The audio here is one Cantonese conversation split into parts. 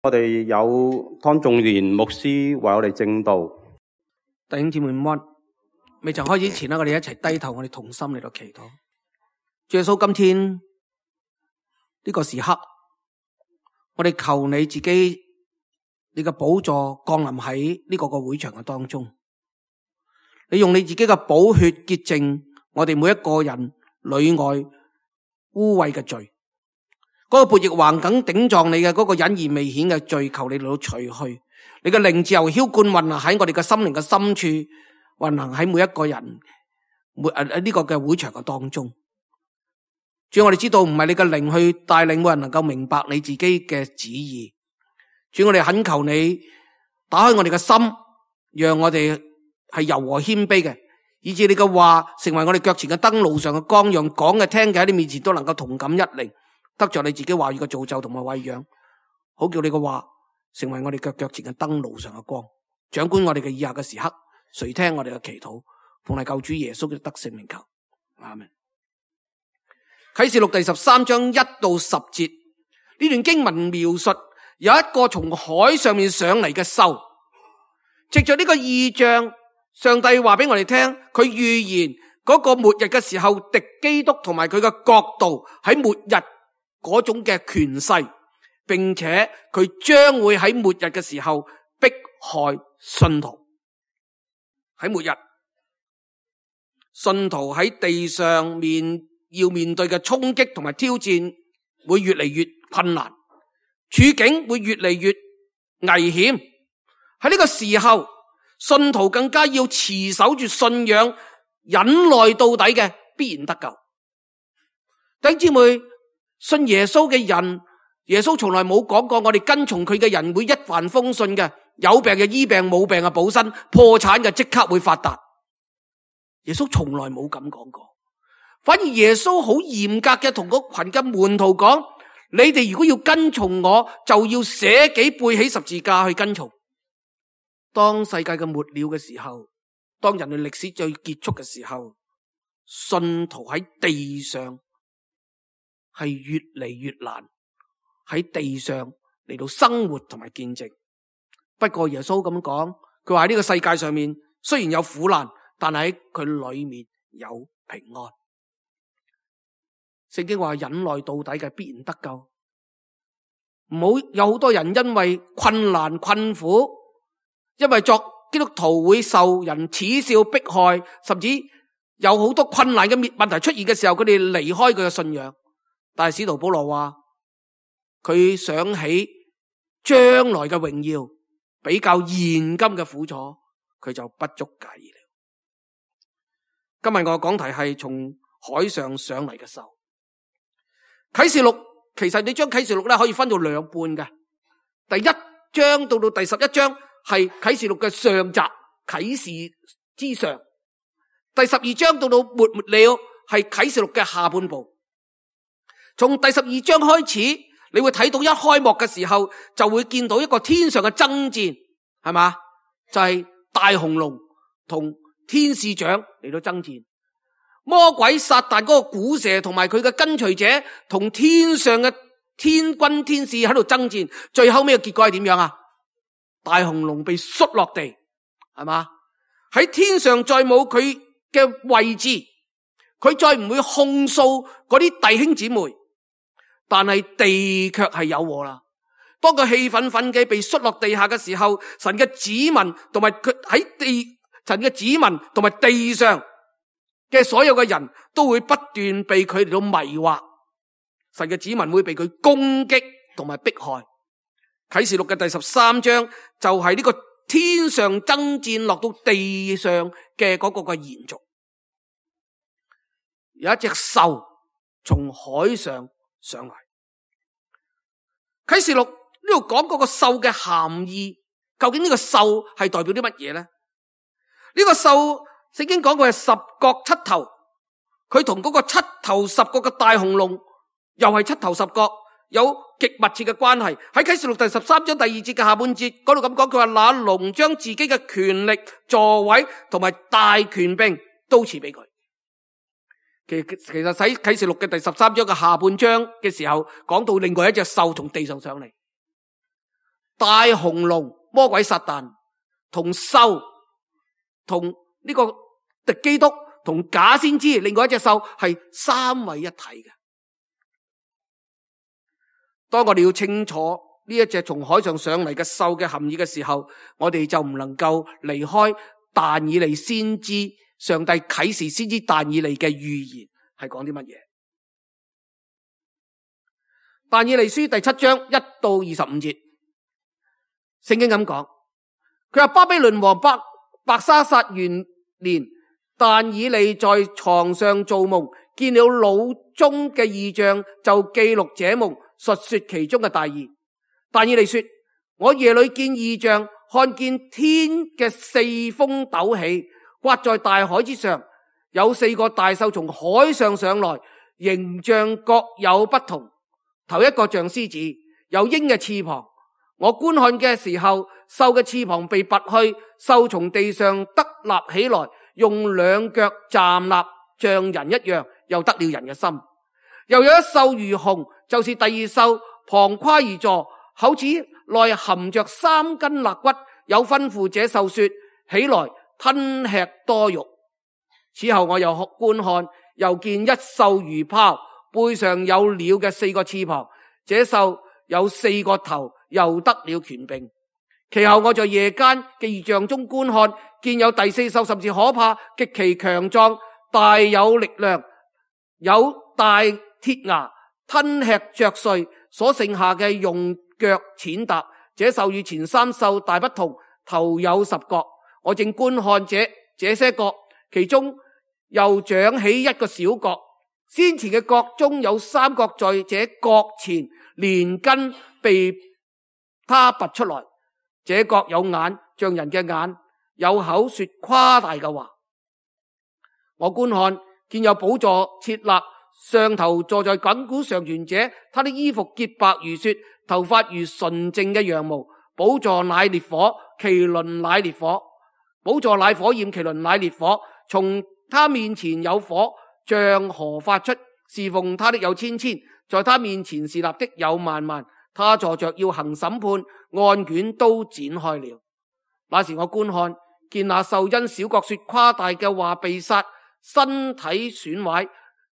我哋有湯仲賢牧師為我哋證道。弟兄姊妹們，未曾開始前我哋一齊低頭，我哋同心嚟到祈禱。主耶穌，今天呢個時刻，我哋求你自己，你嘅寶座降臨喺呢個會場嘅當中。你用你自己嘅寶血潔淨我哋每一個人裏外污穢嘅罪。嗰個悖逆橫梗頂撞你嘅嗰個隱而未顯嘅罪，求你嚟到除去。你嘅靈自由澆灌運行喺我哋嘅心靈嘅深處，運行喺每一個人呢個嘅會場嘅當中。主，我哋知道唔係你嘅靈去帶領，冇人能夠明白你自己嘅旨意。主，我哋懇求你打開我哋嘅心，讓我哋係柔和謙卑嘅，以致你嘅話成為我哋腳前嘅燈，路上嘅光，讓講嘅聽嘅喺你面前都能夠同感一靈，得着你自己話語嘅造就同埋餵養，好叫你嘅話成為我哋腳前嘅燈，路上嘅光，掌管我哋嘅以下嘅時刻，垂聽我哋嘅祈禱，奉係救主耶穌嘅得勝名求，阿們。啟示錄第13章1到10節，呢段經文描述有一個從海上面上嚟嘅獸，藉着呢個異象，上帝話俾我哋聽，佢預言嗰個末日嘅時候，敵基督同埋佢嘅國度喺末日嗰種嘅權勢，並且佢將會喺末日嘅時候迫害信徒。喺末日，信徒喺地上要面對嘅衝擊同埋挑戰會越嚟越困難，處境會越嚟越危險。喺呢個時候，信徒更加要持守住信仰，忍耐到底嘅，必然得救。弟兄姊妹，信耶穌嘅人，耶穌從來冇講過我哋跟從佢嘅人會一帆風順嘅，有病嘅醫病，冇病嘅補身，破產嘅即刻會發達。耶穌從來冇咁講過，反而耶穌好嚴格嘅同嗰群嘅門徒講，你哋如果要跟從我，就要捨己背起十字架去跟從。當世界嘅末了嘅時候，當人類歷史最結束嘅時候，信徒喺地上係越嚟越難喺地上嚟到生活同埋見證。不過耶穌咁講，佢話喺呢個世界上面雖然有苦難，但係喺佢裏面有平安。聖經話忍耐到底嘅必然得救。唔好有好多人因為困難困苦，因為作基督徒會受人恥笑迫害，甚至有好多困難嘅問題出現嘅時候，佢哋離開佢嘅信仰。但係使徒保羅話，佢想起將來嘅榮耀比較現今嘅苦楚，佢就不足介意了。今日我嘅講題係從海上上嚟嘅獸。啟示錄，其實你將啟示錄咧可以分到兩半嘅，第1章到第11章係啟示錄嘅上集，啟示之上；第12章到末了係啟示錄嘅下半部。從第12章開始，你會睇到一開幕嘅時候就會見到一個天上嘅爭戰，係嘛？就係大紅龍同天使長嚟到爭戰，魔鬼撒旦嗰個古蛇同埋佢嘅跟隨者同天上嘅天軍天使喺度爭戰，最後尾嘅結果係點樣啊？大紅龍被摔落地，係嘛？喺天上再冇佢嘅位置，佢再唔會控訴嗰啲弟兄姊妹。但係地卻係有禍啦。當佢氣憤憤嘅被摔落地下嘅時候，神嘅子民同埋佢喺地，神嘅子民同埋地上嘅所有嘅人都會不斷被佢嚟到迷惑。神嘅子民會被佢攻擊同埋迫害。啟示錄嘅第13章就係呢個天上爭戰落到地上嘅嗰個嘅延續。有一隻獸從海上上嚟。啟示錄呢度講嗰個獸嘅含義，究竟呢個獸係代表啲乜嘢呢？呢個獸聖經講佢係十角七頭，佢同嗰個七頭十角嘅大紅龍又係七頭十角，有極密切嘅關係。喺啟示錄第13章第2節嘅下半節嗰度咁講，佢話那龍將自己嘅權力、座位同埋大權柄都賜俾佢。其實喺啟示錄嘅第13章嘅下半章嘅時候，講到另外一隻獸從地上上嚟。大紅龍魔鬼撒旦同獸同呢個敵基督同假先知另外一隻獸係三位一體嘅。當我哋要清楚呢一隻從海上上嚟嘅獸嘅含義嘅時候，我哋就唔能夠離開但以理先知上帝啟示先知但以理嘅預言係講啲乜嘢。但以理書第7章1到25節，聖經咁講，佢話巴比倫王伯沙撒元年，但以理在床上做夢，見了腦中嘅異象，就記錄這夢，述說其中嘅大意。但以理說，我夜裏見異象，看見天嘅四風陡起，颳在大海之上，有4個大獸從海上上來，形象各有不同。頭一個像獅子，有鷹嘅翅膀。我觀看嘅時候，獸嘅翅膀被拔去，獸從地上得立起來，用2腳站立，像人一樣，又得了人嘅心。又有一獸如熊，就是第2獸，旁跨而坐，口齒內含着3根肋骨，有吩咐這獸說：起來，吞吃多肉。此後我又觀看，又見一獸如豹，背上有鳥嘅4個翅膀，這獸有4個頭，又得了權柄。其後我在夜間嘅異象中觀看，見有第4獸，甚至可怕，極其強壯，大有力量，有大鐵牙，吞吃嚼碎，所剩下嘅用腳踐踏。這獸與前3獸大不同，頭有10角。我正觀看這些角，其中又長起一個小角，先前嘅角中有3角，在這角前連根被他拔出來。這角有眼，像人嘅眼，有口說誇大嘅話。我觀看，見有寶座設立，上頭坐在亙古常存者，他的衣服潔白如雪，頭髮如純淨嘅羊毛。寶座乃烈火，其輪乃烈火。寶座乃火焰，其輪乃烈火。從他面前有火，像河發出，侍奉他的有千千，在他面前侍立的有萬萬。他坐着要行審判，案卷都展開了。那時我觀看，見那獸因小角說誇大嘅話被殺，身體損壞，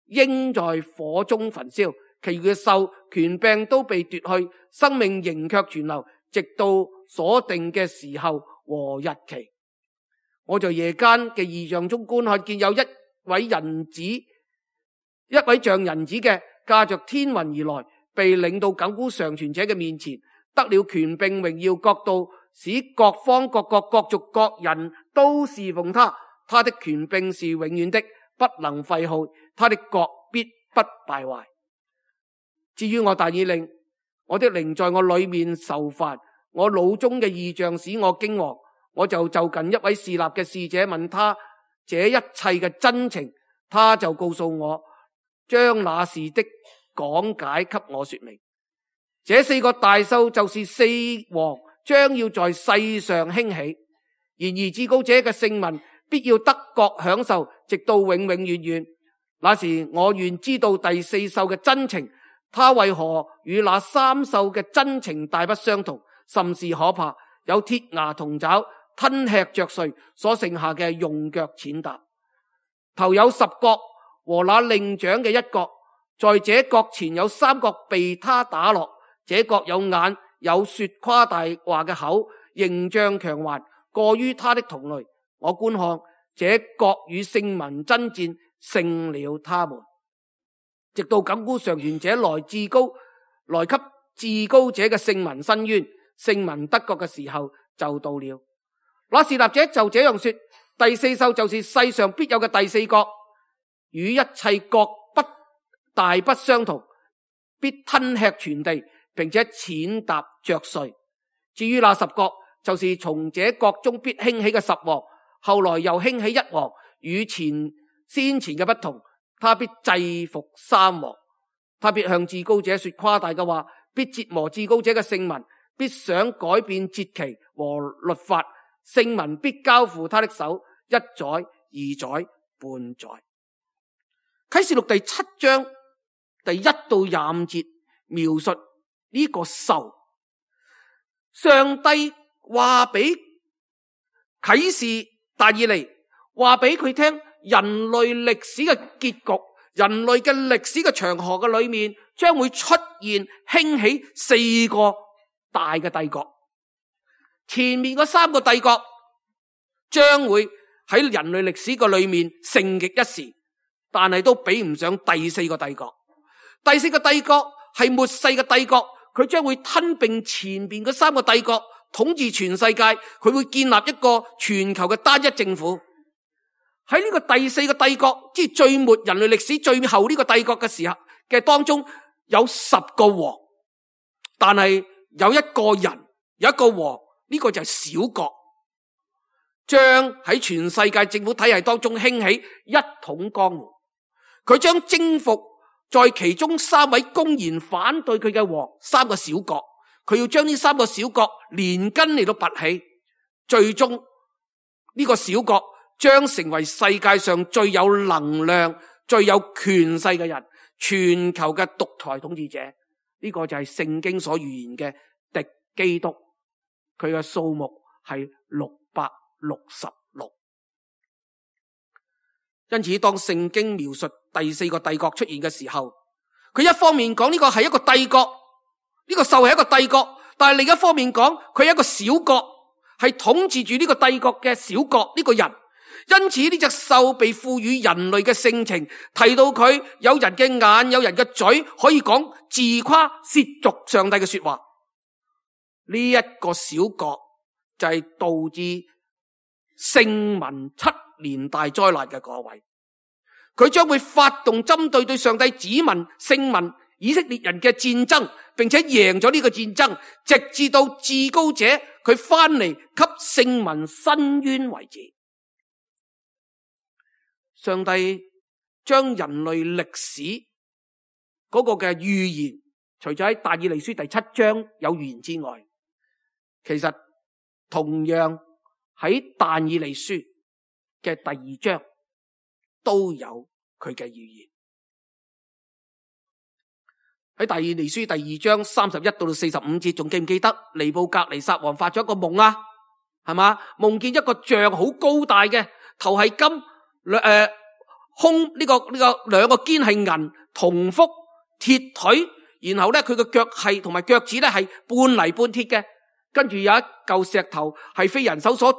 應在火中焚燒。其餘嘅獸權柄都被奪去，生命仍卻存留，直到所定嘅時候和日期。我在夜間嘅異象中觀看，見有一位像人子嘅駕着天雲而來，被領到亙古常存者嘅面前，得了權柄榮耀國度，使各方各國各族各人都侍奉他。他的權柄是永遠的，不能廢耗，他的國必不敗壞。至於我但以理，我的靈在我裏面愁煩，我腦中嘅異象使我驚惶。我就近一位侍立嘅使者，問他這一切嘅真情，他就告訴我，將那事的講解給我說明。這4個大獸就是4王，將要在世上興起。然而至高者嘅聖民必要得國享受，直到永永遠遠。那時我願知道第4獸嘅真情，他為何與那3獸嘅真情大不相同，甚是可怕，有鐵牙銅爪，吞吃嚼碎，所剩下嘅用腳踐踏。頭有10角，和那另長嘅1角，在這角前有3角被他打落。這角有眼，有說誇大話嘅口，形象強橫，過於他的同類。我觀看，這角與聖民爭戰，勝了他們，直到亙古常存者來給至高者嘅聖民申冤，聖民得國嘅時候就到了。那侍立者就這樣說，第4獸就是世上必有嘅第4角，與一切角大不相同，必吞吃全地，並且踐踏嚼碎。至於那10角，就是從這角中必興起嘅10王，後來又興起1王，與先前嘅不同，他必制服3王。他必向至高者說誇大嘅話，必折磨至高者嘅聖民，必想改變節期和律法。聖民必交付他的手，1載、2載、半載。啟示錄第7章第1到25節描述呢個獸，上帝話俾啟示但以理，話俾佢聽人類歷史嘅結局，人類嘅歷史嘅長河嘅裏面將會出現興起4個大嘅帝國。前面嗰3個帝國將會喺人類歷史嘅裏面盛極一時，但係都比唔上第4個帝國。第4個帝國係末世嘅帝國，佢將會吞併前面嗰3個帝國，統治全世界，佢會建立一個全球嘅單一政府。喺呢個第4個帝國，即係最末人類歷史最後呢個帝國嘅時候嘅當中，有10個王，但係有一個人，有一個王，呢個就係小國，將喺全世界政府體系當中興起一統江湖。佢將征服在其中3位公然反對佢嘅王，3個小國，佢要將呢3個小國連根嚟到拔起，最終呢個小國將成為世界上最有能量、最有權勢嘅人，全球嘅獨裁統治者。呢個就係聖經所預言嘅敵基督，佢嘅數目係666。因此當聖經描述第4個帝國出現嘅時候，佢一方面講呢個係一個帝國，呢個獸係一個帝國，但係另一方面講佢係一個小國，係統治住呢個帝國嘅小國呢個人。因此呢隻獸被賦予人類嘅性情，提到佢有人嘅眼，有人嘅嘴，可以講自誇褻瀆上帝嘅說話。呢一個小國就係導致聖民7年大災難嘅嗰位，佢將會發動針對上帝子民聖民以色列人嘅戰爭，並且贏咗呢個戰爭，直至到至高者佢翻嚟給聖民伸冤為止。上帝將人類歷史嗰個嘅預言，除咗喺但以理書第7章有預言之外，其實同樣喺但以理書嘅第2章都有佢嘅預言。喺但以理書第2章31到45節，仲記唔記得尼布甲尼撒王發咗一個夢啊？係嘛？夢見一個像好高大嘅，頭係金，胸呢個兩個肩係銀，銅腹鐵腿，然後咧佢個腳係同埋腳趾咧係半泥半鐵嘅，跟住有一嚿石頭係非人手所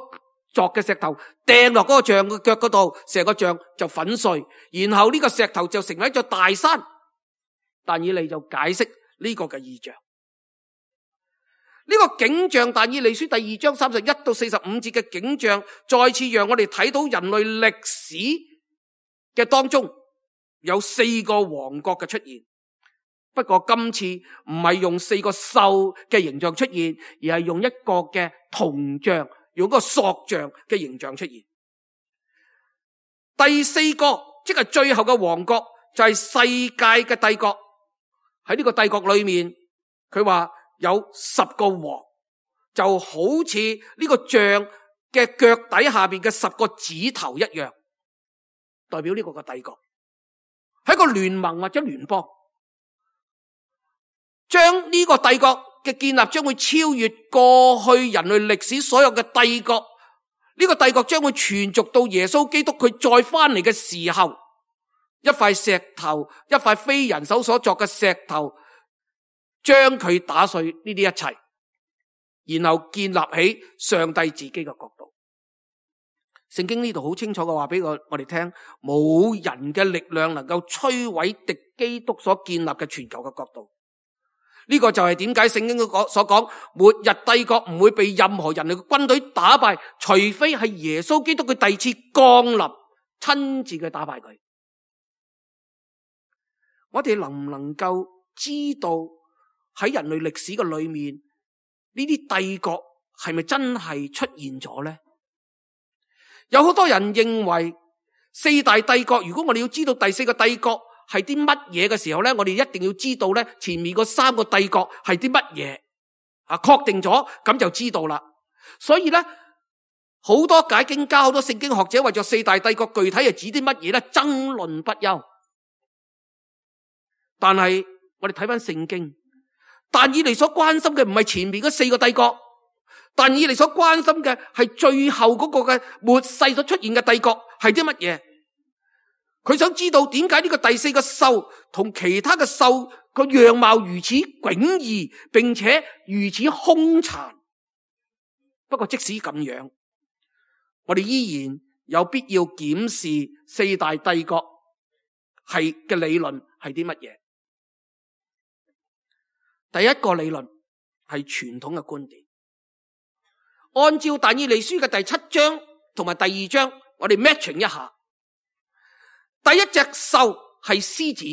作嘅石頭，掟落嗰個像嘅腳嗰度，成個像就粉碎，然後呢個石頭就成為一座大山。但以理就解釋呢個嘅異象，呢個景象，但以理書第2章31到45節嘅景象，再次讓我哋睇到人類歷史嘅當中有4個王國嘅出現。不過今次唔係用4個獸嘅形象出現，而係用一個嘅銅像，用一個塑像嘅形象出現。第4個即係最後嘅王國，就係世界嘅帝國。喺呢個帝國裏面，佢話有10個王，就好似呢個像嘅腳底下邊嘅10個指頭一樣，代表呢個帝國係一個聯盟或者聯邦，將呢個帝國嘅建立將會超越過去人類歷史所有嘅帝國。呢個帝國將會傳續到耶穌基督佢再翻嚟嘅時候，一塊石頭，一塊非人手所作嘅石頭，將佢打碎呢啲一切，然後建立起上帝自己嘅國度。聖經呢度好清楚嘅話俾我哋聽，冇人嘅力量能夠摧毀敵基督所建立嘅全球嘅國度。呢個就係點解聖經所講末日帝國唔會被任何人類嘅軍隊打敗，除非係耶穌基督佢第二次降臨，親自去打敗佢。我哋能唔能夠知道喺人類歷史嘅裏面，呢啲帝國係咪真係出現咗呢？有好多人認為4大帝國，如果我哋要知道第4個帝國係啲乜嘢嘅時候咧，我哋一定要知道咧前面嗰3個帝國係啲乜嘢啊，確定咗咁就知道啦。所以咧，好多解經家、好多聖經學者為咗4大帝國具體係指啲乜嘢咧，爭論不休。但係我哋睇翻聖經，但以理所關心嘅唔係前面嗰4個帝國，但以理所關心嘅係最後嗰個嘅末世所出現嘅帝國係啲乜嘢？佢想知道點解呢個第四個獸同其他嘅獸個樣貌如此迥異，並且如此兇殘。不過即使咁樣，我哋依然有必要檢視四大帝國係嘅理論係啲乜嘢。第一個理論係傳統嘅觀點，按照但以理書嘅第7章同埋第2章，我哋 matching 一下。第一隻獸係獅子，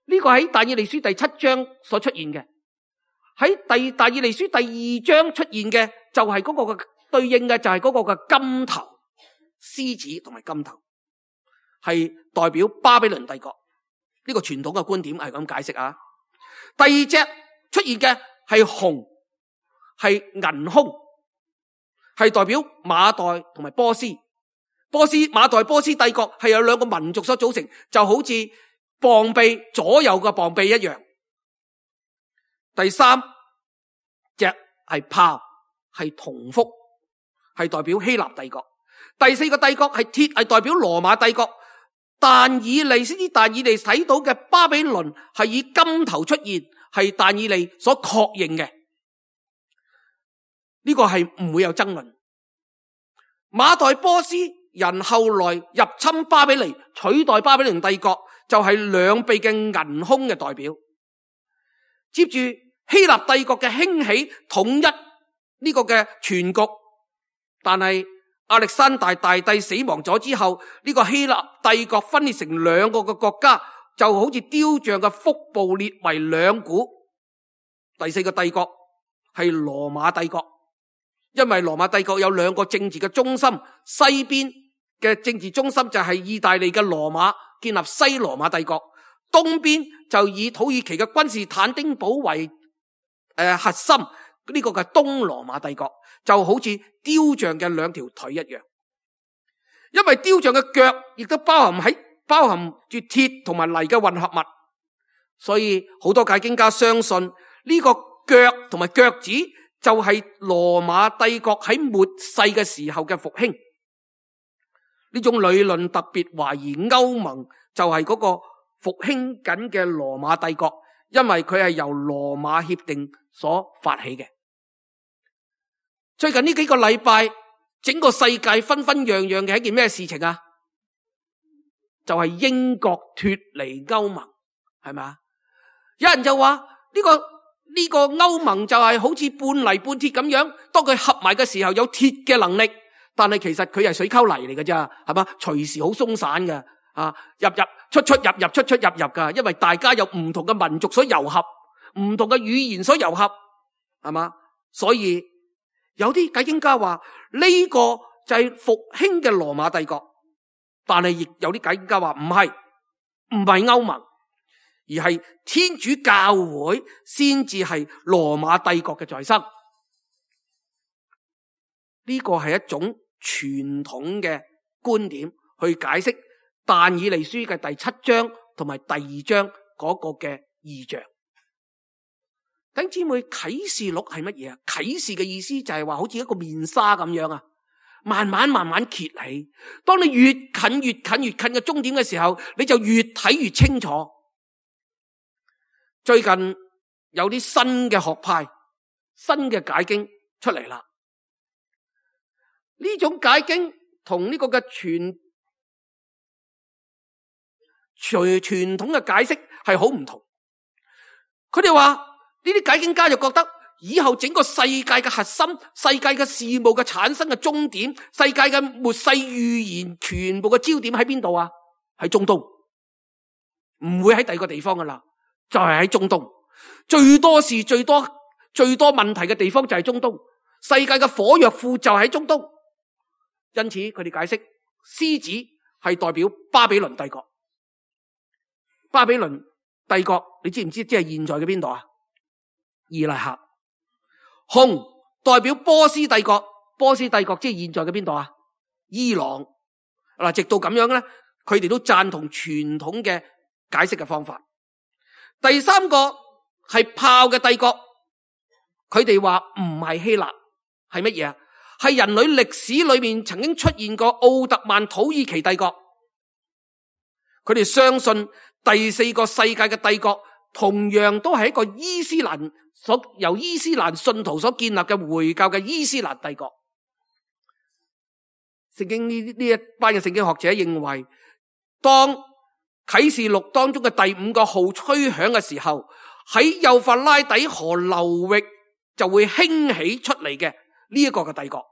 呢個喺但以理書第7章所出現嘅，喺但以理書第2章出現嘅就係嗰個嘅對應嘅就係嗰個嘅金頭獅子同埋金頭，係代表巴比倫帝國。呢個傳統嘅觀點係咁解釋啊。第二隻出現嘅係熊，係銀凶，係代表馬代同埋波斯。馬代波斯帝國係有兩個民族所組成，就好似膀臂左右嘅膀臂一樣。第三隻係豹，係銅腹，係代表希臘帝國。第四個帝國係鐵，係代表羅馬帝國。但以理睇到嘅巴比倫係以金頭出現，係但以理所確認嘅，呢個係唔會有爭論。馬代波斯人後來入侵巴比倫，取代巴比倫帝國，就係兩臂嘅銀凶嘅代表。接住希臘帝國嘅興起，統一呢個嘅全局，但係亞歷山大大帝死亡咗之後，呢個希臘帝國分裂成兩個嘅國家，就好似雕像嘅腹部裂為兩股。第四個帝國係羅馬帝國，因為羅馬帝國有兩個政治嘅中心，西邊嘅政治中心就係意大利嘅羅馬，建立西羅馬帝國；東邊就以土耳其嘅君士坦丁堡為核心，呢個嘅東羅馬帝國，就好似雕像嘅兩條腿一樣。因為雕像嘅腳亦都包含住鐵同埋泥嘅混合物，所以好多解經家相信呢個腳同埋腳趾就係羅馬帝國喺末世嘅時候嘅復興。呢種理論特別懷疑歐盟就係嗰個復興緊嘅羅馬帝國，因為佢係由羅馬協定所發起嘅。最近呢幾個禮拜，整個世界紛紛揚揚嘅一件咩事情啊？就係英國脫離歐盟，係咪啊？有人就話呢個歐盟就係好似半泥半鐵咁樣，當佢合埋嘅時候有鐵嘅能力，但係其實佢係水溝泥嚟嘅咋，係嘛？隨時好鬆散嘅，入出出入噶，因為大家有唔同嘅民族所糅合，唔同嘅語言所糅合，係嘛？所以有啲解經家話呢個就係復興嘅羅馬帝國，但係亦有啲解經家話唔係歐盟，而係天主教會先至係羅馬帝國嘅再生。呢個係一種傳統嘅觀點去解釋但以理書嘅第7章同埋第2章嗰個嘅異象。弟兄姊妹，啟示錄係乜嘢啊？啟示嘅意思就係話好似一個面紗咁樣啊，慢慢揭起。當你越近嘅終點嘅時候，你就越睇越清楚。最近有啲新嘅學派、新嘅解經出嚟啦。呢種解經同呢個嘅傳統嘅解釋係好唔同。佢哋話呢啲解經家就覺得以後整個世界嘅核心、世界嘅事務嘅產生嘅終點、世界嘅末世預言全部嘅焦點喺邊度啊？喺中東，唔會喺第二個地方噶啦，就係喺中東。最多事、最多問題嘅地方就係中東，世界嘅火藥庫就喺中東。因此佢哋解釋獅子係代表巴比倫帝國。巴比倫帝國你知唔知即係現在嘅邊度啊？伊拉克。熊代表波斯帝國，波斯帝國即係現在嘅邊度啊？伊朗。嗱，直到咁樣咧，佢哋都贊同傳統嘅解釋嘅方法。第三個係豹嘅帝國，佢哋話唔係希臘，係乜嘢啊？係人類歷史裏面曾經出現過奧特曼土耳其帝國。佢哋相信第四個世界嘅帝國同樣都係一個由伊斯蘭信徒所建立嘅回教嘅伊斯蘭帝國。聖經呢一班嘅聖經學者認為，當啟示錄當中嘅第5個號吹響嘅時候，喺幼發拉底河流域就會興起出嚟嘅呢一個嘅帝國。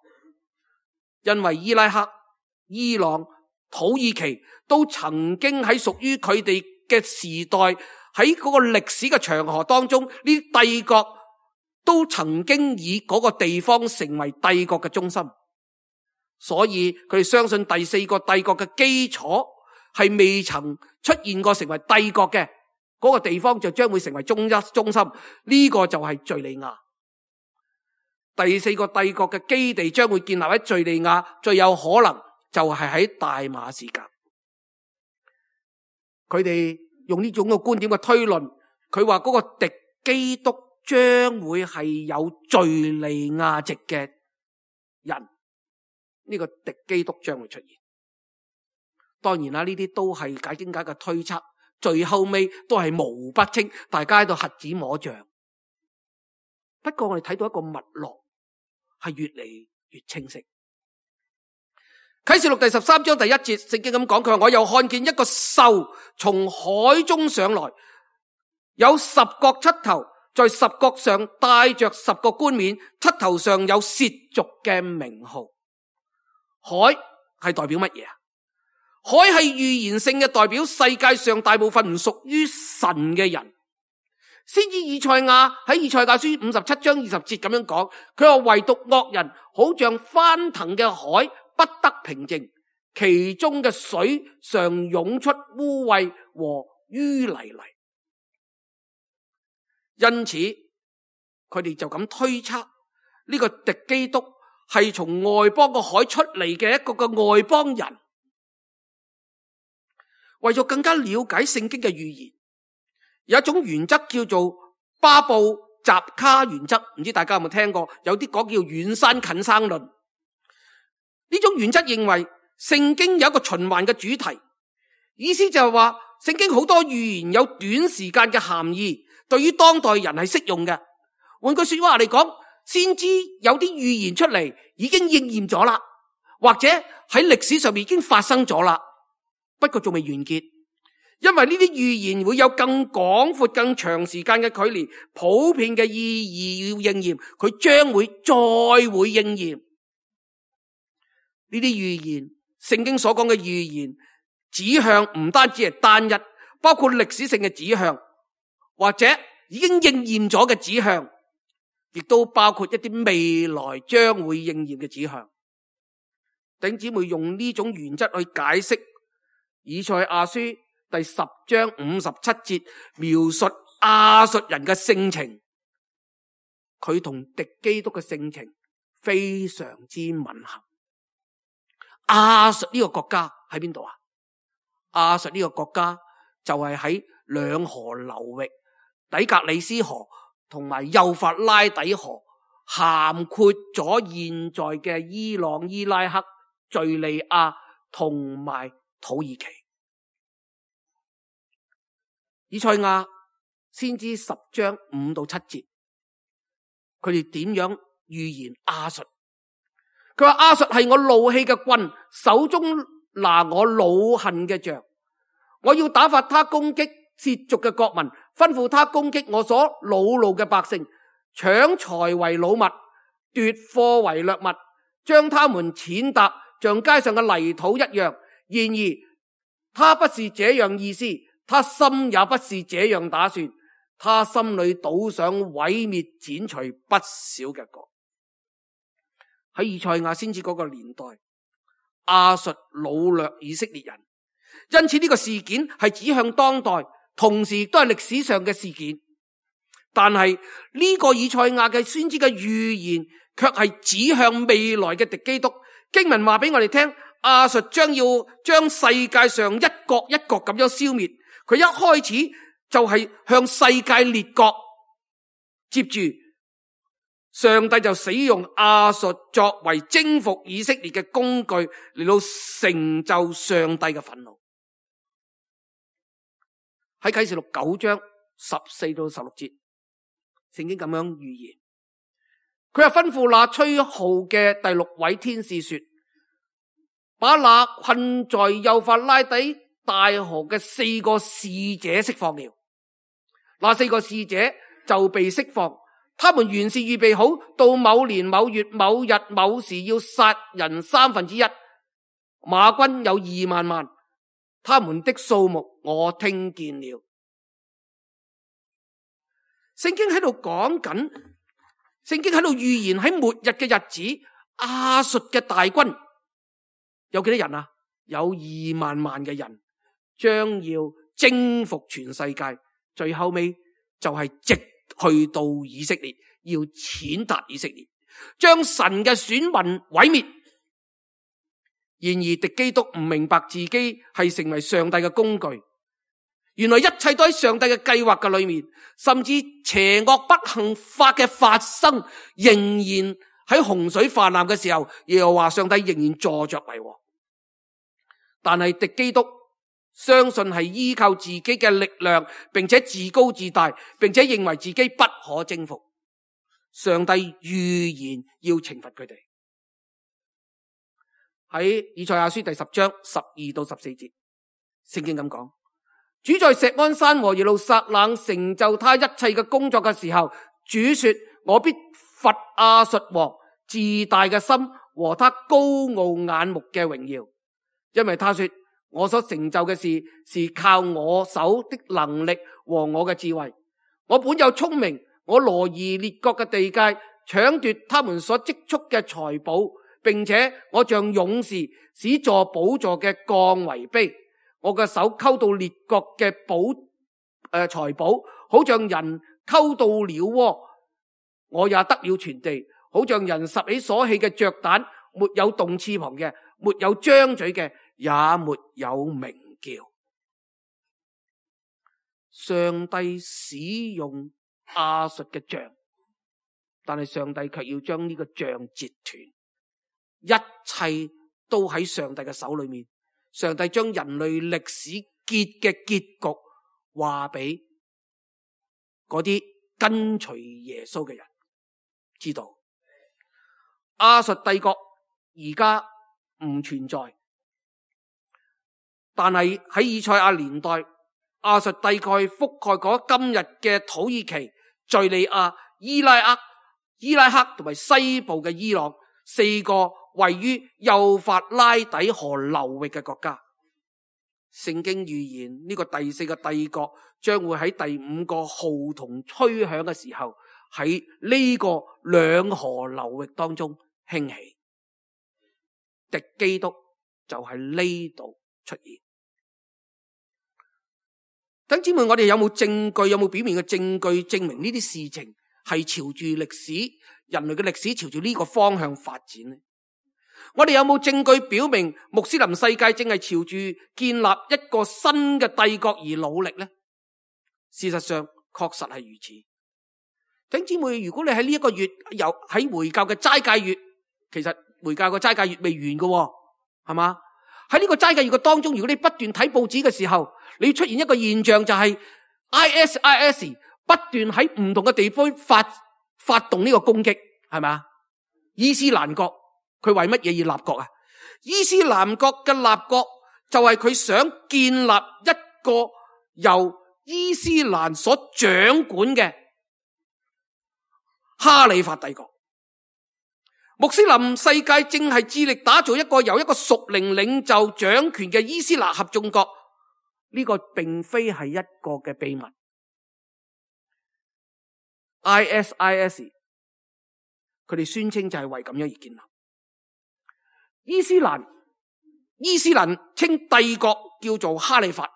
因為伊拉克、伊朗、土耳其都曾經喺屬於佢哋嘅時代，喺嗰個歷史嘅長河當中，呢啲帝國都曾經以嗰個地方成為帝國嘅中心。所以佢哋相信第4個帝國嘅基礎係未曾出現過成為帝國嘅嗰個地方，就將會成為中心。呢個就係敘利亞。第4個帝國嘅基地將會建立喺敘利亞，最有可能就係喺大馬士革。佢哋用呢種嘅觀點嘅推論，佢話嗰個敵基督將會係有敘利亞籍嘅人。呢個敵基督將會出現。當然啦，呢啲都係解經家嘅推測，最後尾都係模糊不清，大家喺度瞎子摸象。不過我哋睇到一個脈絡係越嚟越清晰。啟示錄第13章第1節，聖經咁講，佢話，我又看見一個獸從海中上來，有10角七頭，在10角上帶着10個冠冕，七頭上有褻瀆嘅名號。海係代表乜嘢啊？海係預言性嘅，代表世界上大部分唔屬於神嘅人。先知以賽亞喺以賽亞書57章20節咁樣講，佢話唯獨惡人好像翻騰嘅海，不得平靜，其中嘅水常湧出污穢和淤泥嚟。因此佢哋就咁推測，呢個敵基督係從外邦個海出嚟嘅一個外邦人。為咗更加了解聖經嘅預言，有一種原則叫做巴布扎卡原則，唔知大家有冇聽過？有啲講叫遠山近山論。呢種原則認為聖經有一個循環嘅主題，意思就係話聖經好多預言有短時間嘅含義，對於當代人係適用嘅。換句說話嚟講，先知有啲預言出嚟已經應驗咗啦，或者喺歷史上面已經發生咗啦，不過仲未完結，因為呢啲預言會有更廣闊、更長時間嘅距離，普遍嘅意義要應驗，佢將會再會應驗。呢啲預言，聖經所講嘅預言指向唔單止係單一，包括歷史性嘅指向，或者已經應驗咗嘅指向，亦都包括一啲未來將會應驗嘅指向。弟兄姊妹，用呢種原則去解釋以賽亞書第10章57節，描述亞述人嘅性情，佢同敵基督嘅性情非常之吻合。亞述呢個國家喺邊度啊？亞述呢個國家就係喺兩河流域，底格里斯河同埋幼發拉底河，涵括咗現在嘅伊朗、伊拉克、敘利亞同埋土耳其。以賽亞先知10章5到7節，佢哋點樣預言亞述？佢話亞述係我怒氣嘅棍，手中拿我惱恨嘅杖，我要打發他攻擊褻瀆嘅國民，吩咐他攻擊我所惱怒嘅百姓，搶財為擄物，奪貨為掠物，將他們踐踏像街上嘅泥土一樣。然而他不是這樣意思，他心也不是這樣打算，他心裏倒想毀滅剪除不少嘅國。喺以賽亞先知嗰個年代，亞述擄掠以色列人，因此呢個事件係指向當代，同時亦都係歷史上嘅事件。但係呢個以賽亞嘅先知嘅預言卻係指向未來嘅敵基督。經文話俾我哋聽，亞述將要將世界上一國一國咁樣消滅。佢一開始就係向世界列國，接住上帝就使用亞述作為征服以色列嘅工具，嚟到成就上帝嘅憤怒。喺啟示錄9章14到16節，聖經咁樣預言，佢係吩咐那吹號嘅第6位天使說，把那困在幼發拉底大河嘅4個使者釋放了。那4個使者就被釋放，他們原是預備好到某年某月某日某時要殺人1/3，馬軍有2萬萬，他們的數目我聽見了。聖經喺度講緊，聖經喺度預言喺末日嘅日子，亞述嘅大軍有幾多人啊？有2萬萬嘅人將要征服全世界，最後尾就係直去到以色列，要踐踏以色列，將神嘅選民毀滅。然而敵基督唔明白自己係成為上帝嘅工具，原來一切都喺上帝嘅計劃嘅裏面，甚至邪惡不幸法嘅發生，仍然喺洪水泛濫嘅時候，耶和華上帝仍然坐着為王。但係敵基督相信係依靠自己嘅力量，並且自高自大，並且認為自己不可征服。上帝預言要懲罰佢哋。喺以賽亞書第10章12到14節，聖經咁講，主在錫安山和耶路撒冷成就他一切嘅工作嘅時候，主說，我必罰亞述王自大嘅心和他高傲眼目嘅榮耀，因為他說，我所成就嘅事是靠我手的能力和我嘅智慧。我本有聰明，我挪移列國嘅地界，搶奪他們所積蓄嘅財寶，並且我像勇士，使坐寶座嘅降為卑。我嘅手溝到列國嘅財寶，好像人溝到鳥窩。我也得了全地，好像人拾起所棄嘅雀蛋，沒有動翅膀嘅，沒有張嘴嘅，也沒有鳴叫。上帝使用亞述嘅杖，但係上帝卻要將呢個杖截斷。一切都喺上帝嘅手裏面。上帝將人類歷史結嘅結局話俾嗰啲跟隨耶穌嘅人知道。亞述帝國而家唔存在，但係喺以賽亞年代，亞述帝國覆蓋過今日嘅土耳其、敘利亞、伊拉克同埋西部嘅伊朗4個位於幼發拉底河流域嘅國家。聖經預言呢個第4個帝國將會喺第5個號筒吹響嘅時候，喺呢個兩河流域當中興起。敵基督就喺呢度出現。弟兄姊妹，我哋有冇證據，有冇表面嘅證據證明呢啲事情係朝住歷史，人類嘅歷史朝住呢個方向發展呢？我哋有冇證據表明穆斯林世界正係朝住建立一個新嘅帝國而努力呢？事實上確實係如此。弟兄姊妹，如果你喺呢一個月又喺回教嘅齋戒月，其實回教嘅齋戒月未完嘅，係嘛？喺呢個齋戒月嘅當中，如果你不斷睇報紙嘅時候，你出現一個現象，就係 IS 不斷喺唔同嘅地方發動呢個攻擊，係咪？伊斯蘭國佢為乜嘢要立國啊？伊斯蘭國嘅立國就係佢想建立一個由伊斯蘭所掌管嘅哈里發帝國。穆斯林世界正係致力打造一個由一個屬靈領袖掌權嘅伊斯蘭合眾國。呢個並非係一個嘅秘密。ISIS 佢哋宣稱就係為咁樣而建立。伊斯蘭稱帝國叫做哈里發。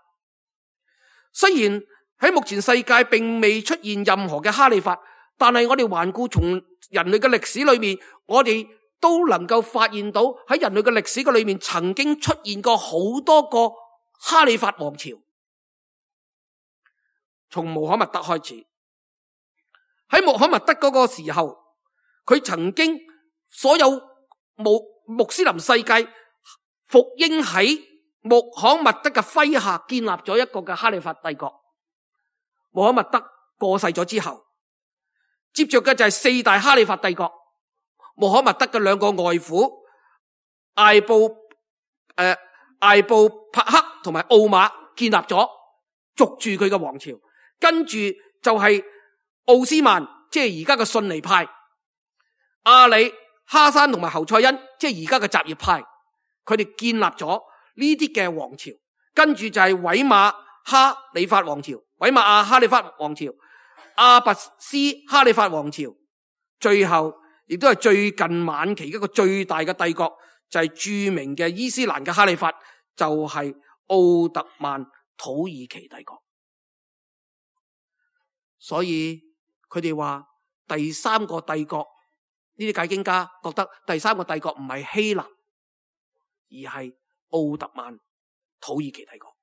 雖然喺目前世界並未出現任何嘅哈里發，但係我哋環顧從人類嘅歷史裏面，我哋都能夠發現到喺人類嘅歷史嘅裏面曾經出現過好多個哈里發王朝。從穆罕默德開始，喺穆罕默德嗰個時候，佢曾經所有穆斯林世界服膺喺穆罕默德嘅麾下，建立咗一個嘅哈里發帝國。穆罕默德過世咗之後，接着嘅就係四大哈里發帝國。穆罕默德嘅兩個外父艾布帕克同埋奧馬建立咗，續住佢嘅王朝。跟住就係奧斯曼，即係而家嘅遜尼派，阿里、哈山同埋侯賽因，即係而家嘅什葉派，佢哋建立咗呢啲嘅王朝。跟住就係韋馬哈里發王朝、韋馬亞哈里發王朝、阿拔斯哈里發王朝，最後亦都係最近晚期一個最大嘅帝國，就係著名嘅伊斯蘭嘅哈里發，就係奧特曼土耳其帝國。所以佢哋話第三個帝國，呢啲解經家覺得第三個帝國唔係希臘，而係奧特曼土耳其帝國。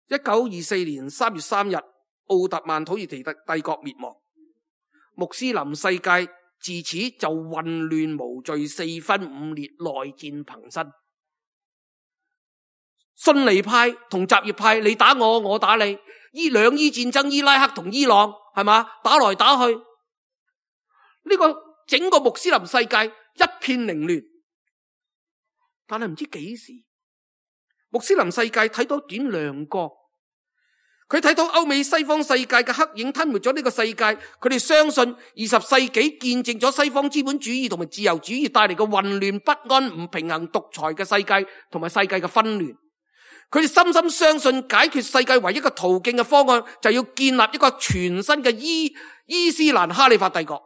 1924年3月3日，奧特曼土耳其帝國滅亡，穆斯林世界自此就混亂無序、四分五裂、內戰頻生。遜尼派同什葉派，你打我，我打你，兩伊戰爭，伊拉克同伊朗係嘛，打來打去，呢個整個穆斯林世界一片凌亂。但係唔知幾時，穆斯林世界睇到點亮光，佢睇到歐美西方世界嘅黑影吞沒咗呢個世界。佢哋相信20世紀見證咗西方資本主義同埋自由主義帶嚟嘅混亂不安、唔平衡、獨裁嘅世界同埋世界嘅紛亂。佢哋深深相信解決世界唯一嘅途徑嘅方案，就要建立一個全新嘅伊斯蘭哈里發帝國，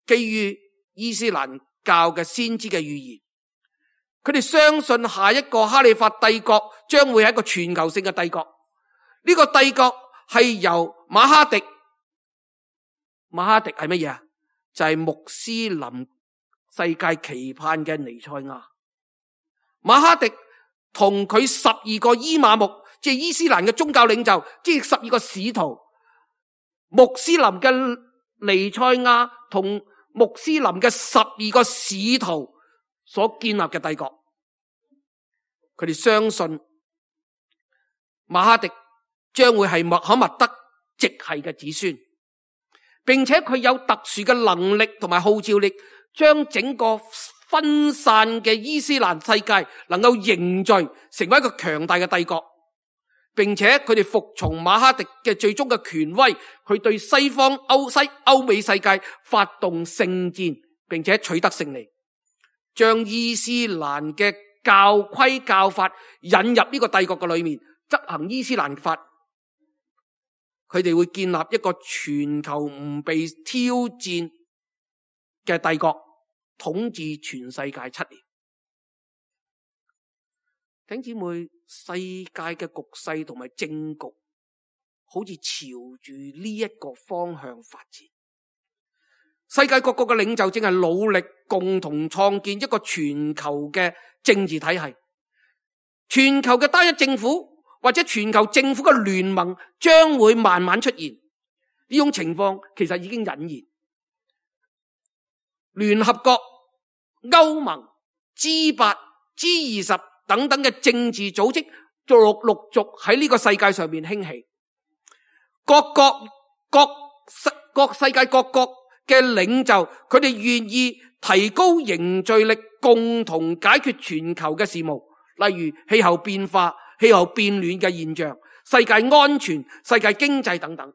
基於伊斯蘭教嘅先知嘅預言。佢哋相信下一個哈里發帝國將會係一個全球性嘅帝國。呢個帝國係由馬哈迪係乜嘢啊？就係穆斯林世界期盼嘅彌賽亞。馬哈迪同佢12個伊瑪目，即係伊斯蘭嘅宗教領袖，即係12個使徒，穆斯林嘅彌賽亞同穆斯林嘅12個使徒所建立嘅帝國。佢哋相信馬哈迪將會係穆罕默德直系嘅子孫，並且佢有特殊嘅能力同埋號召力，將整個分散嘅伊斯蘭世界能夠凝聚成為一個強大嘅帝國，並且佢哋服從馬哈迪嘅最終嘅權威，佢對西方歐美世界發動聖戰，並且取得勝利，將伊斯蘭嘅教規教法引入呢個帝國嘅裏面，執行伊斯蘭法。佢哋會建立一個全球唔被挑戰嘅帝國，統治全世界7年。弟兄姊妹，世界嘅局勢同埋政局好似朝住呢一個方向發展。世界各國嘅領袖正係努力共同創建一個全球嘅政治體系，全球嘅單一政府或者全球政府嘅聯盟將會慢慢出現。呢種情況其實已經隱現。聯合國、歐盟、G8、G20等等嘅政治組織陸續喺呢個世界上面興起。各世界各國嘅領袖，佢哋願意提高凝聚力，共同解決全球嘅事務，例如氣候變化、氣候變暖嘅現象、世界安全、世界經濟等等。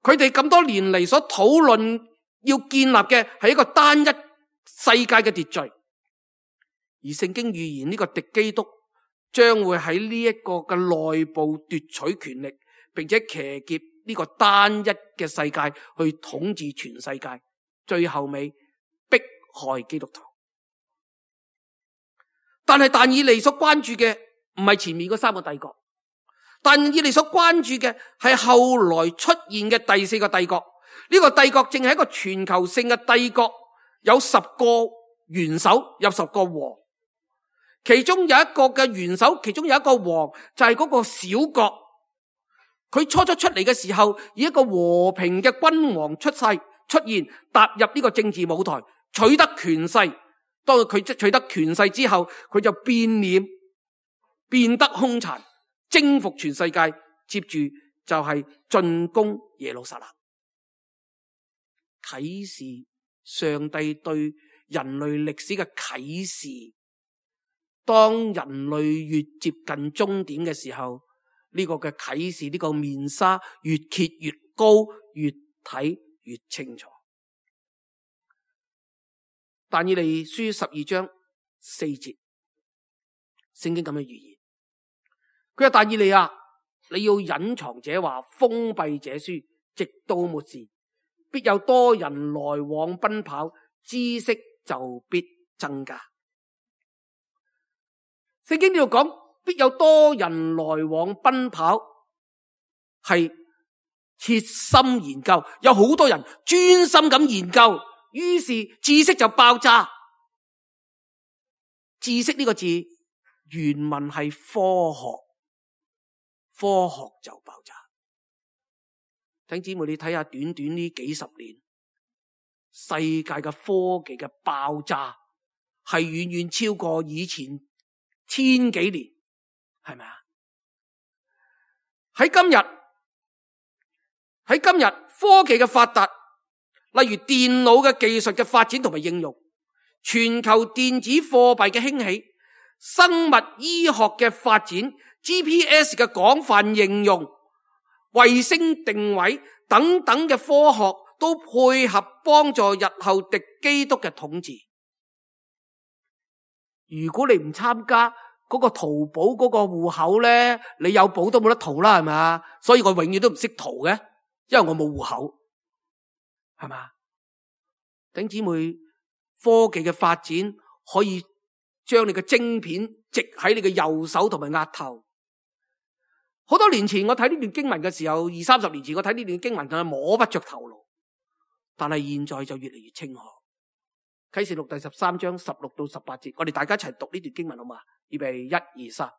佢哋咁多年嚟所討論要建立嘅係一個單一世界嘅秩序，而聖經預言呢個敵基督將會喺呢一個嘅內部奪取權力，並且騎劫呢個單一嘅世界去統治全世界，最後尾迫害基督徒。但係但以理所關注嘅唔係前面嗰3個帝國，但以理所關注嘅係後來出現嘅第4個帝國。呢個帝國正係一個全球性嘅帝國，有10個元首，有10個王，其中有一個嘅元首，其中有一個王，就係嗰個小國。佢初出嚟嘅時候，以一個和平嘅君王出世，出現，踏入呢個政治舞台，取得權勢。當佢取得權勢之後，佢就變臉，變得兇殘，征服全世界。接住就係進攻耶路撒冷，啟示上帝對人類歷史嘅啟示。當人類越接近終點嘅時候，呢個嘅啟示，呢個面紗越揭越高，越睇越清楚。但以理書12章4節，聖經咁樣預言，佢話但以理啊，你要隱藏這話，封閉這書，直到末時，必有多人來往奔跑，知識就必增加。聖經呢度講必有多人來往奔跑，係切心研究，有好多人專心咁研究，於是知識就爆炸。知識呢個字原文係科學，科學就爆炸。弟兄姊妹，你睇下短短呢幾十年，世界嘅科技嘅爆炸係遠遠超過以前千幾年，係咪啊？喺今日科技嘅發達，例如電腦嘅技術嘅發展同埋應用，全球電子貨幣嘅興起，生物醫學嘅發展， GPS 嘅廣泛應用，衛星定位等等嘅科學都配合幫助日後敵基督嘅統治。如果你唔參加嗰個淘寶嗰個戶口咧，你有寶都冇得淘啦，係咪？所以我永遠都唔識淘嘅，因為我冇戶口，係嘛？弟兄姊妹，科技嘅發展可以將你嘅晶片植喺你嘅右手同埋額頭。好多年前我睇呢段經文嘅時候，20-30年前我睇呢段經文就摸不着頭腦，但係現在就越嚟越清楚。啟示錄第13章16到18節，我哋大家一齊讀呢段經文好嘛？預備1、2、3。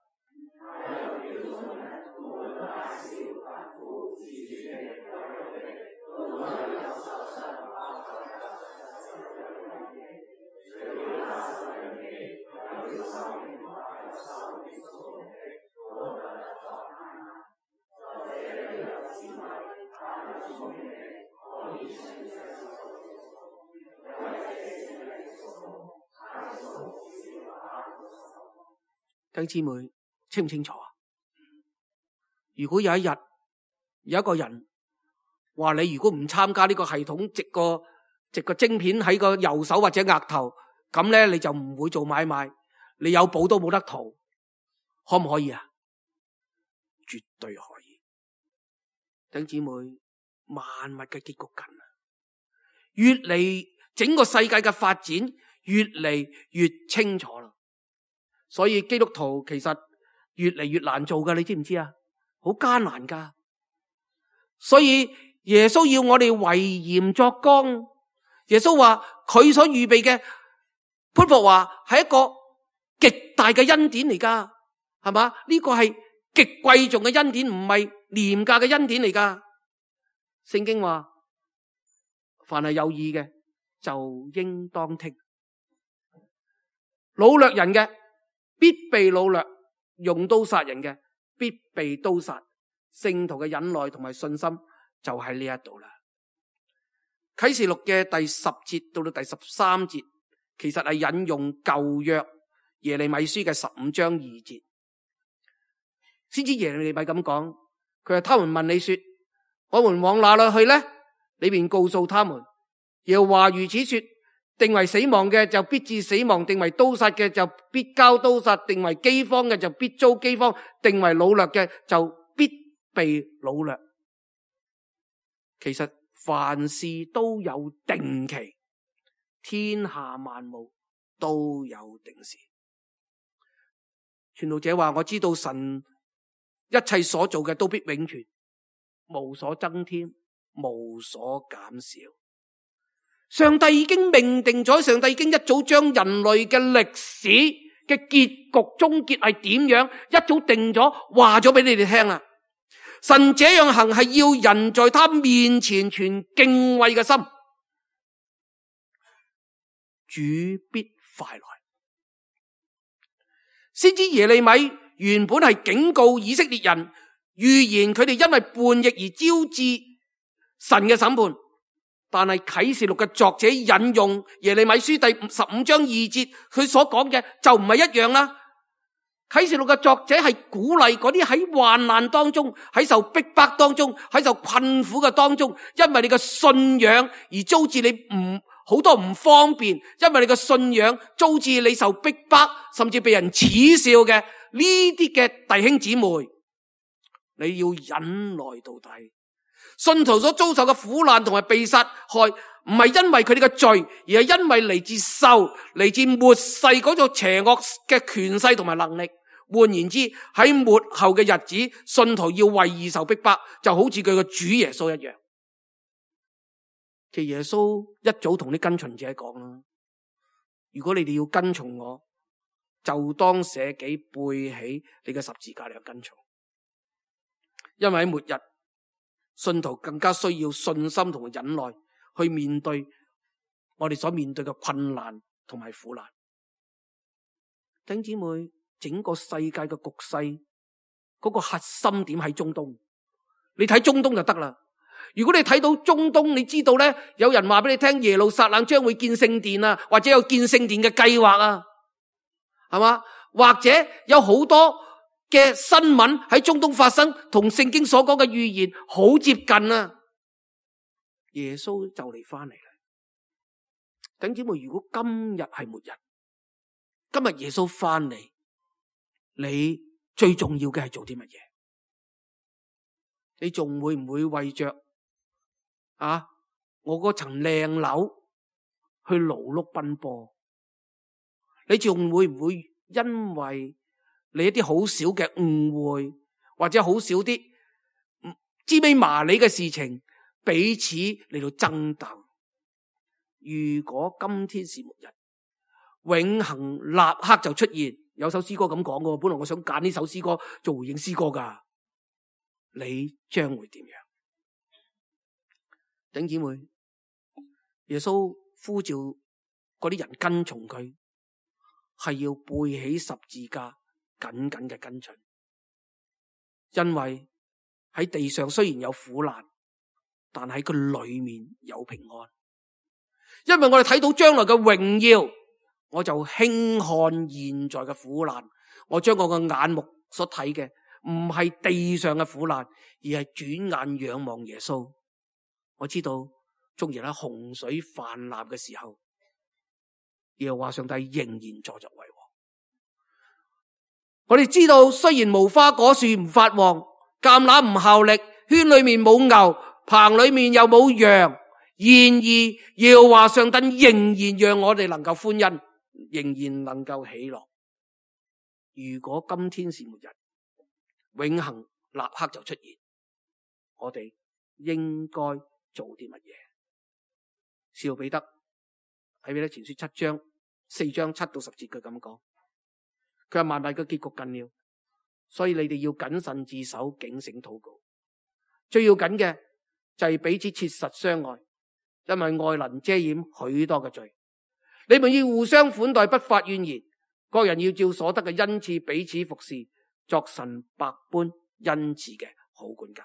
弟兄姊妹，清唔清楚啊？如果有一日有一個人話你如果唔參加呢個系統，植個晶片喺個右手或者額頭，咁咧你就唔會做買賣，你有寶都冇得淘，可唔可以啊？絕對可以。弟兄姊妹，萬物嘅結局近啊，越嚟整個世界嘅發展越嚟越清楚啦。所以基督徒其實越嚟越難做噶，你知唔知啊？好艱難噶。所以耶穌要我哋為鹽作光。耶穌話佢所預備嘅潘霍華係一個極大嘅恩典嚟噶，係嘛？呢個係極貴重嘅恩典，唔係廉價嘅恩典嚟噶。聖經話凡係有耳嘅就應當聽。擄掠人嘅必被擄掠，用刀殺人嘅必被刀殺。聖徒嘅忍耐同埋信心就喺呢一度啦。啟示錄嘅第10節到第13節，其實係引用舊約耶利米書嘅15章2節。先知耶利米咁講，佢話他們問你說，我們往哪裏去呢？你便告訴他們，耶和華如此說，定為死亡嘅就必致死亡，定為刀殺嘅就必交刀殺，定為饑荒嘅就必遭饑荒，定為擄掠嘅就必被擄掠。其實凡事都有定期，天下萬物都有定時。傳道者話，我知道神一切所做嘅都必永存，無所增添，無所減少。上帝已經命定咗，上帝已經一早將人類嘅歷史嘅結局終結係點樣，一早定咗，話咗俾你哋聽啦。神這樣行係要人在他面前存敬畏嘅心，主必快來。先知耶利米原本係警告以色列人，預言佢哋因為叛逆而招致神嘅審判。但係啟示錄嘅作者引用耶利米書第15章2節，佢所講嘅就唔係一樣啦。啟示錄嘅作者係鼓勵嗰啲喺患難當中、喺受逼迫當中、喺受困苦嘅當中，因為你嘅信仰而招致你好多唔方便，因為你嘅信仰招致你受逼迫，甚至被人恥笑嘅呢啲嘅弟兄姊妹，你要忍耐到底。信徒所遭受嘅苦難同埋被殺害，唔係因為佢哋嘅罪，而係因為嚟自獸、嚟自末世嗰種邪惡嘅權勢同埋能力。換言之，喺末後嘅日子，信徒要為義受逼迫，就好似佢嘅主耶穌一樣。其實耶穌一早同啲跟隨者講啦，如果你哋要跟從我，就當捨己背起你嘅十字架嚟跟從。因為喺末日，信徒更加需要信心同忍耐去面對我哋所面對嘅困難同埋苦難。弟兄姊妹，整個世界嘅局勢嗰個核心點喺中東，你睇中東就得啦。如果你睇到中東，你知道咧，有人話俾你聽耶路撒冷將會建聖殿啊，或者有建聖殿嘅計劃啊，係嘛？或者有好多嘅新聞喺中東發生，同聖經所講嘅預言好接近啊。耶穌就嚟翻嚟啦。弟兄姊妹，如果今日係末日，今日耶穌翻嚟，你最重要嘅係做啲乜嘢？你仲會唔會為着我嗰層靚樓去勞碌奔波？你仲會唔會因為你一啲好少嘅誤會，或者好少啲芝麻麻利嘅事情，彼此嚟到爭鬥？如果今天是末日，永恆立刻就出現。有首詩歌咁講嘅，本來我想揀呢首詩歌做回應詩歌噶，你將會點樣？弟兄姊妹，耶穌呼召嗰啲人跟從佢，係要背起十字架，緊緊嘅跟隨。因為喺地上雖然有苦難，但喺佢裏面有平安。因為我哋睇到將來嘅榮耀，我就輕看現在嘅苦難。我將我嘅眼目所睇嘅唔係地上嘅苦難，而係轉眼仰望耶穌。我知道縱然喺洪水泛濫嘅時候，耶和華上帝仍然坐着為王。我哋知道雖然無花果樹唔發旺，橄欖唔效力，圈裏面冇牛，棚裏面又冇羊，然而耶和華上帝仍然讓我哋能夠歡欣，仍然能夠喜樂。如果今天是末日，永恆立刻就出現，我哋應該做啲乜嘢？使徒彼得喺彼得前書4章7到10節，佢咁講，佢話萬物嘅結局近了，所以你哋要謹慎自守，警醒禱告。最要緊嘅就係彼此切實相愛，因為愛能遮掩許多嘅罪。你們要互相款待，不發怨言，各人要照所得嘅恩賜彼此服侍，作神百般恩賜嘅好管家。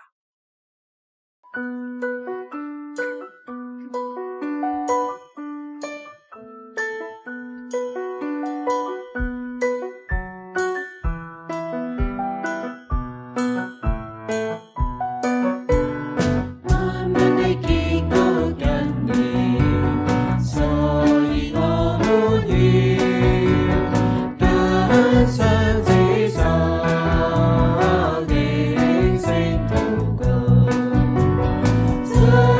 這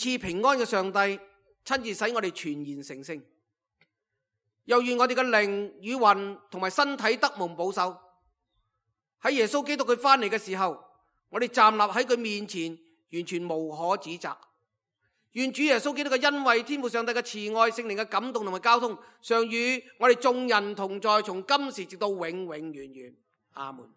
賜平安嘅上帝親自使我哋全然成聖，又願我哋嘅靈與魂同埋身體得蒙保守。喺耶穌基督佢翻嚟嘅時候，我哋站立喺佢面前，完全無可指責。願主耶穌基督嘅恩惠、天父上帝嘅慈愛、聖靈嘅感動同埋交通，常與我哋眾人同在，從今時直到永永遠遠。阿門。